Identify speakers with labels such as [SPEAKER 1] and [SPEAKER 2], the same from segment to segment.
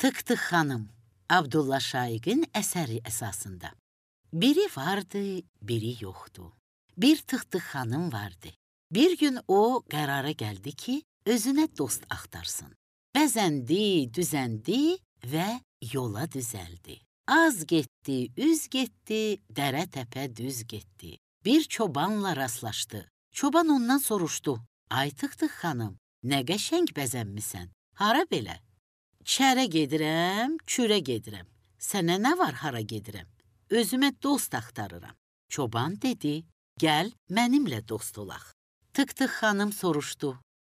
[SPEAKER 1] Tık-Tık xanım, Abdullah Şaiqin əsəri əsasında. Biri vardı, biri yoxdu. Bir Tık-Tık xanım vardı. Bir gün o qərara gəldi ki, özünə dost axtarsın. Bəzəndi, düzəndi və yola düzəldi. Az getdi, üz getdi, dərə təpə düz getdi. Bir çobanla rastlaşdı. Çoban ondan soruşdu. Ay Tık-Tık xanım, nə qəşəng bəzənmisən? Hara belə? Çərə gedirəm, kürə gedirəm. Sənə nə var hara gedirəm? Özümə dost axtarıram. Çoban dedi, gəl mənimlə dost olaq. Tık-Tık xanım soruşdu,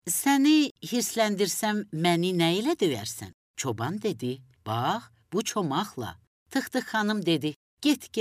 [SPEAKER 1] səni hirsləndirsəm məni nə ilə döyərsən? Çoban dedi, bax, bu çomaqla. Tık-Tık xanım dedi, get,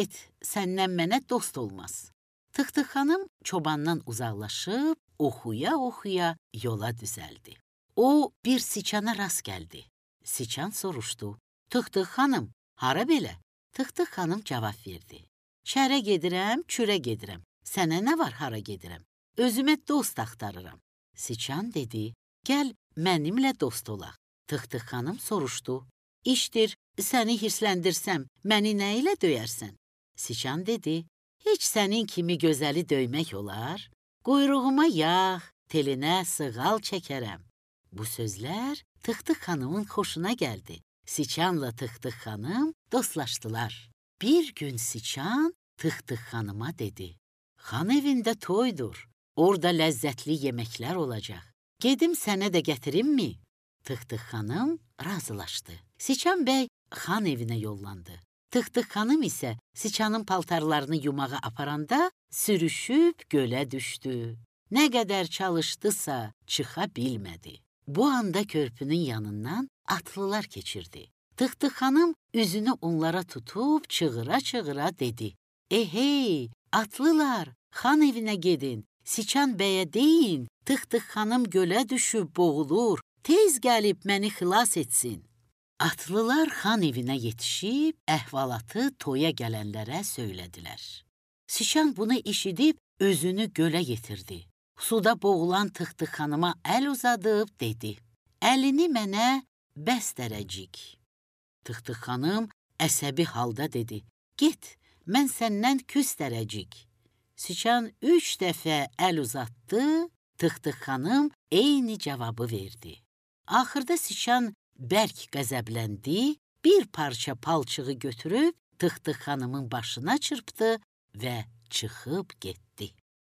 [SPEAKER 1] səndən mənə dost olmaz. Tık-Tık xanım çobandan uzaqlaşıb, oxuya-oxuya yola düzəldi. O, bir siçana rast gəldi. Siçan soruşdu, Tık-Tık xanım, hara belə? Tık-Tık xanım cavab verdi. Çərə gedirəm, kürə gedirəm. Sənə nə var hara gedirəm? Özümə dost axtarıram. Siçan dedi, gəl mənimlə dost olaq. Tık-Tık xanım soruşdu, işdir, səni hirsləndirsəm, məni nə ilə döyərsən? Siçan dedi, heç sənin kimi gözəli döymək olar? Quyruğuma yağ, telinə sığal çəkərəm. Bu sözlər Tık-Tık xanımın xoşuna gəldi. Siçanla Tık-Tık xanım dostlaşdılar. Bir gün Siçan Tık-Tık xanıma dedi, xan evində toydur, orada ləzzətli yeməklər olacaq. Gedim sənə də gətirimmi? Tık-Tık xanım razılaşdı. Siçan bəy xan evinə yollandı. Tık-Tık xanım isə Siçanın paltarlarını yumağa aparanda sürüşüb gölə düşdü. Nə qədər çalışdısa çıxa bilmədi. Bu anda körpünün yanından atlılar keçirdi. Tık-Tık xanım üzünü onlara tutub çığıra-çığıra dedi. Hey, atlılar, xan evinə gedin, Siçan bəyə deyin, Tık-Tık xanım gölə düşüb boğulur, tez gəlib məni xilas etsin. Atlılar xan evinə yetişib, əhvalatı toya gələnlərə söylədilər. Siçan bunu eşidib özünü gölə yetirdi. Suda boğulan Tık-Tık xanıma əl uzadıb dedi, əlini mənə bəs dərəcik. Tık-Tık xanım əsəbi halda dedi, get, mən səndən küs dərəcik. Siçan 3 dəfə əl uzatdı, Tık-Tık xanım eyni cavabı verdi. Axırda Siçan bərk qəzəbləndi, bir parça palçığı götürüb Tık-Tık xanımın başına çırpdı və çıxıb getdi.